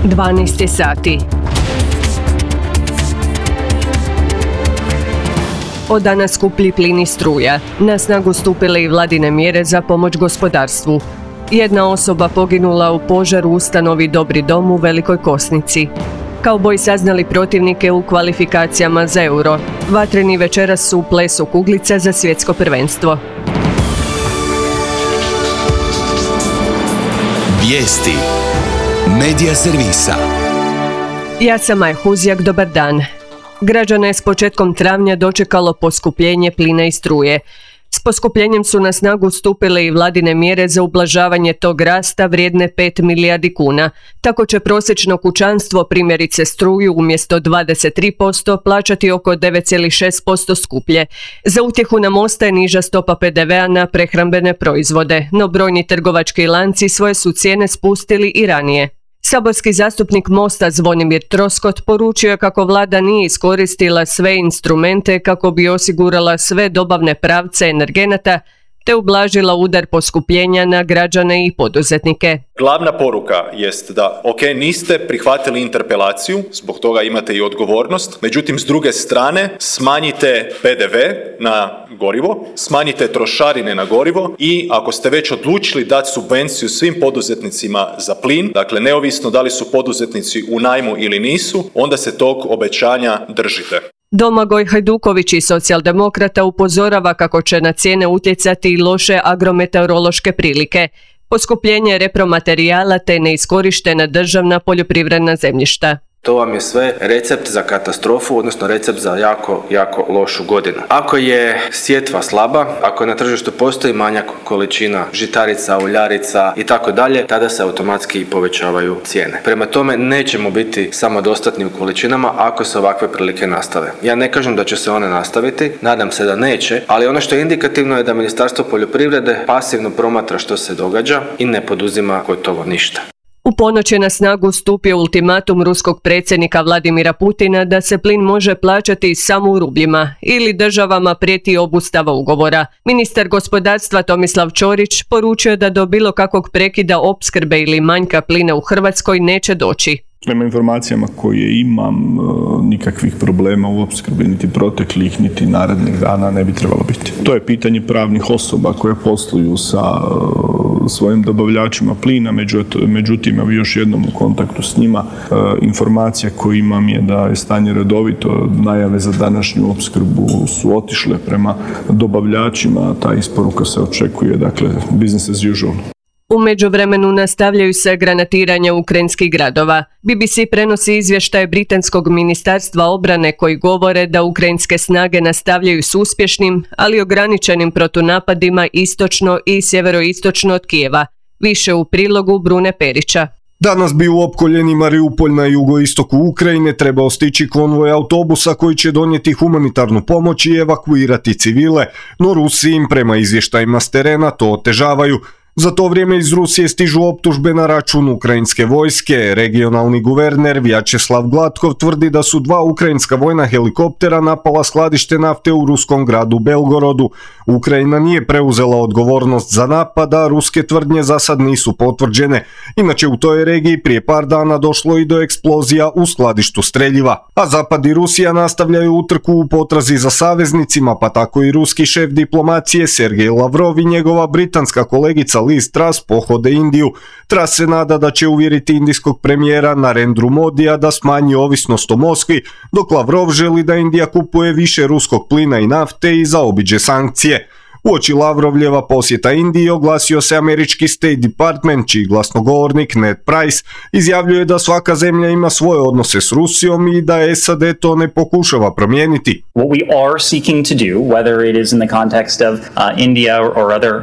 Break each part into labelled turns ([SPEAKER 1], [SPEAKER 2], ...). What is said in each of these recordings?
[SPEAKER 1] 12 sati. Od danas skuplji plin i struja. Na snagu stupile i vladine mjere za pomoć gospodarstvu. Jedna osoba poginula u požaru u ustanovi Dobri dom u Velikoj Kosnici. Kauboji saznali protivnike u kvalifikacijama za Euro. Vatreni večeras su u plesu kuglica za svjetsko prvenstvo.
[SPEAKER 2] Vijesti Medija servisa.
[SPEAKER 1] Ja sam Maja Huzjak, dobar dan. Građane je s početkom travnja dočekalo poskupljenje plina i struje. S poskupljenjem su na snagu stupile i vladine mjere za ublažavanje tog rasta vrijedne 5 milijardi kuna. Tako će prosječno kućanstvo, primjerice struju, umjesto 23% plaćati oko 9,6% skuplje. Za utjehu nam ostaje niža stopa PDV-a na prehrambene proizvode, no brojni trgovački lanci svoje su cijene spustili i ranije. Saborski zastupnik Mosta Zvonimir Troskot poručio je kako vlada nije iskoristila sve instrumente kako bi osigurala sve dobavne pravce energenata te ublažila udar poskupljenja na građane i poduzetnike.
[SPEAKER 3] Glavna poruka jest da, niste prihvatili interpelaciju, zbog toga imate i odgovornost, međutim, s druge strane, smanjite PDV na gorivo, smanjite trošarine na gorivo i ako ste već odlučili dati subvenciju svim poduzetnicima za plin, dakle, neovisno da li su poduzetnici u najmu ili nisu, onda se tog obećanja držite.
[SPEAKER 1] Domagoj Hajduković iz Socijaldemokrata upozorava kako će na cijene utjecati i loše agrometeorološke prilike, poskupljenje repromaterijala te neiskorištena državna poljoprivredna zemljišta.
[SPEAKER 4] To vam je sve recept za katastrofu, odnosno recept za jako lošu godinu. Ako je sjetva slaba, ako na tržištu postoji manjak količina žitarica, uljarica i tako dalje, tada se automatski povećavaju cijene. Prema tome nećemo biti samodostatni u količinama ako se ovakve prilike nastave. Ja ne kažem da će se one nastaviti, nadam se da neće, ali ono što je indikativno je da Ministarstvo poljoprivrede pasivno promatra što se događa i ne poduzima gotovo ništa.
[SPEAKER 1] U ponoć je na snagu stupio ultimatum ruskog predsjednika Vladimira Putina da se plin može plaćati samo u rubljima ili državama prijeti obustava ugovora. Ministar gospodarstva Tomislav Ćorić poručio da do bilo kakvog prekida opskrbe ili manjka plina u Hrvatskoj neće doći.
[SPEAKER 5] Prema informacijama koje imam, nikakvih problema u opskrbi niti proteklih, niti narednih dana ne bi trebalo biti. To je pitanje pravnih osoba koje posluju sa svojim dobavljačima plina, međutim, ja još jednom u kontaktu s njima. Informacija koju imam je da je stanje redovito, najave za današnju opskrbu su otišle prema dobavljačima, ta isporuka se očekuje, dakle, business as usual.
[SPEAKER 1] U međuvremenu nastavljaju se granatiranja ukrajinskih gradova. BBC prenosi izvještaje britanskog ministarstva obrane koji govore da ukrajinske snage nastavljaju s uspješnim, ali ograničenim protunapadima istočno i sjeveroistočno od Kijeva. Više u prilogu Brune Perića.
[SPEAKER 6] Danas bi u opkoljeni Mariupolj na jugoistoku Ukrajine trebao stići konvoj autobusa koji će donijeti humanitarnu pomoć i evakuirati civile, no Rusi im prema izvještajima s terena to otežavaju. Za to vrijeme iz Rusije stižu optužbe na račun ukrajinske vojske. Regionalni guverner Vjačeslav Gladkov tvrdi da su 2 ukrajinska vojna helikoptera napala skladište nafte u ruskom gradu Belgorodu. Ukrajina nije preuzela odgovornost za napad, a ruske tvrdnje za sad nisu potvrđene. Inače, u toj regiji prije par dana došlo i do eksplozija u skladištu streljiva. A Zapad i Rusija nastavljaju utrku u potrazi za saveznicima, pa tako i ruski šef diplomacije Sergej Lavrov i njegova britanska kolegica Liz Truss pohode Indiju. Truss se nada da će uvjeriti indijskog premijera Narendru Modija da smanji ovisnost o Moskvi, dok Lavrov želi da Indija kupuje više ruskog plina i nafte i zaobiđe sankcije. Uoči Lavrovljeva posjeta Indiji oglasio se američki State Department, čiji glasnogovornik Ned Price izjavljuje da svaka zemlja ima svoje odnose s Rusijom i da SAD to ne pokušava promijeniti.
[SPEAKER 7] What we are seeking to do, whether it is in the context of India or other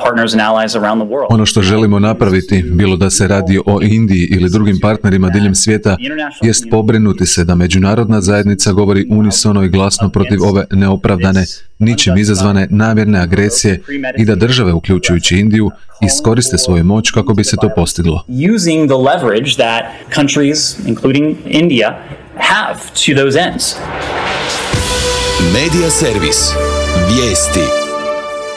[SPEAKER 7] partners and allies around the world.
[SPEAKER 8] Ono što želimo napraviti, bilo da se radi o Indiji ili drugim partnerima diljem svijeta, jest pobrinuti se da međunarodna zajednica govori unisono i glasno protiv ove neopravdane, ničim izazvane namjerne agresije i da države, uključujući Indiju, iskoriste svoju moć kako bi se to postiglo.
[SPEAKER 7] Using the leverage that countries, including India, have to those ends.
[SPEAKER 2] Medija servis. Vijesti.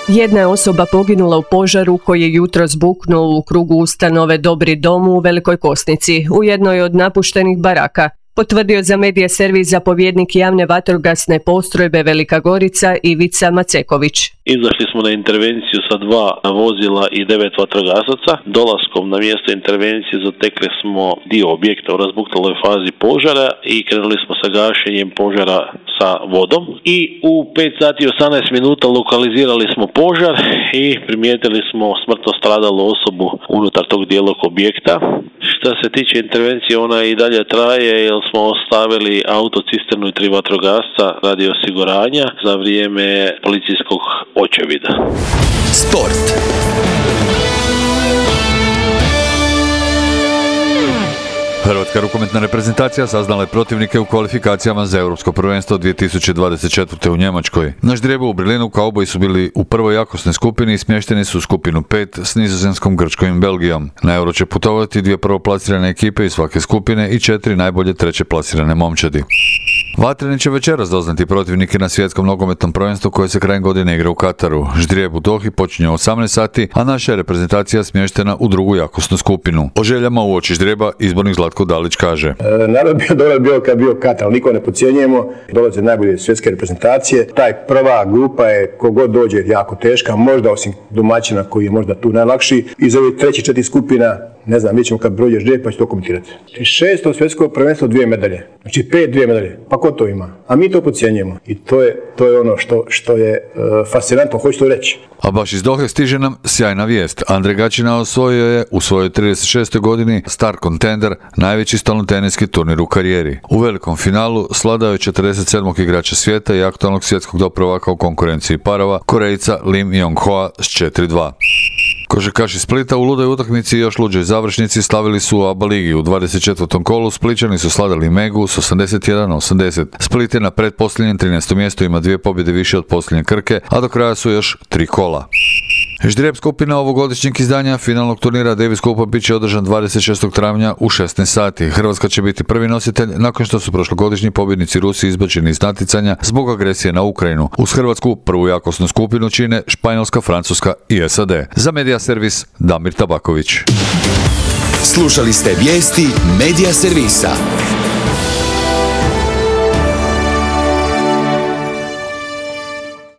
[SPEAKER 1] Jedna je osoba poginula u požaru koji je jutros buknuo u krugu ustanove Dobri dom u Velikoj Kosnici, u jednoj od napuštenih baraka, potvrdio za Medija servis zapovjednik javne vatrogasne postrojbe Velika Gorica Ivica Maceković.
[SPEAKER 9] Izašli smo na intervenciju sa 2 vozila i 9 vatrogasaca. Dolaskom na mjesto intervencije zatekli smo dio objekta u razbuktaloj fazi požara i krenuli smo sa gašenjem požara sa vodom. I u 5 sati i 18 minuta lokalizirali smo požar i primijetili smo smrtno stradalu osobu unutar tog dijelog objekta. Što se tiče intervencije, ona i dalje traje jer smo ostavili autocisternu i 3 vatrogasca radi osiguranja za vrijeme policijskog očevida.
[SPEAKER 2] Sport.
[SPEAKER 10] Hrvatska rukometna reprezentacija saznala je protivnike u kvalifikacijama za Europsko prvenstvo 2024. u Njemačkoj. Na ždrijebu u Berlinu kauboji su bili u prvoj jakosnoj skupini i smješteni su u skupinu 5 s Nizozemskom, Grčkom i Belgijom. Na Euro će putovati 2 prvoplasirane ekipe iz svake skupine i 4 najbolje treće plasirane momčadi. Vatreni će večeras doznati protivnike na svjetskom nogometnom prvenstvu koje se krajem godine igra u Kataru. Ždrijeb u Dohi počinje u 18 sati, a naša je reprezentacija smještena u drugu jakosnu skupinu. O željama uoči ždrijeba izbornik Zlatko Dalić kaže:
[SPEAKER 11] Narod bio kad bio Katar, niko ne podcjenjujemo, dolaze najbolje svjetske reprezentacije. Taj prva grupa je kogod dođe jako teška, možda osim domaćina koji je možda tu najlakši. Iz ovih 3. 4 skupina, ne znam, mi ćemo kad prođe ždrijeb pa će to komentirati. 6. svjetsko prvenstvo 2 medalje, znači 5 2 medalje, pa ko to ima? A mi to podcjenjujemo i to je ono što je fascinantno, hoću to reći.
[SPEAKER 10] A baš iz Dohe stiže nam sjajna vijest. Andrej Gaćina osvojio je u svojoj 36. godini Star Contender, najveći stolnoteniski turnir u karijeri. U velikom finalu sladao je 47. igrača svijeta i aktualnog svjetskog doprvaka u konkurenciji parova, Korejca Lim Yong-hoa s 4-2. Košarkaši Splita u ludoj utakmici i još luđoj završnici slavili su u ABA ligi. U 24. kolu Splićani su sladali Megu s 81-80. Split je na pretposljednjem 13. mjestu, ima 2 pobjede više od posljednje Krke, a do kraja su još 3 kola. Ždrijeb skupina ovogodišnjeg izdanja finalnog turnira Davis Cupa bit će održan 26. travnja u 16 sati. Hrvatska će biti prvi nositelj nakon što su prošlogodišnji pobjednici Rusi izbačeni iz natjecanja zbog agresije na Ukrajinu. Uz Hrvatsku prvu jakosnu skupinu čine Španjolska, Francuska i SAD. Za Medija servis Damir Tabaković.
[SPEAKER 2] Slušali ste vijesti Medija servisa.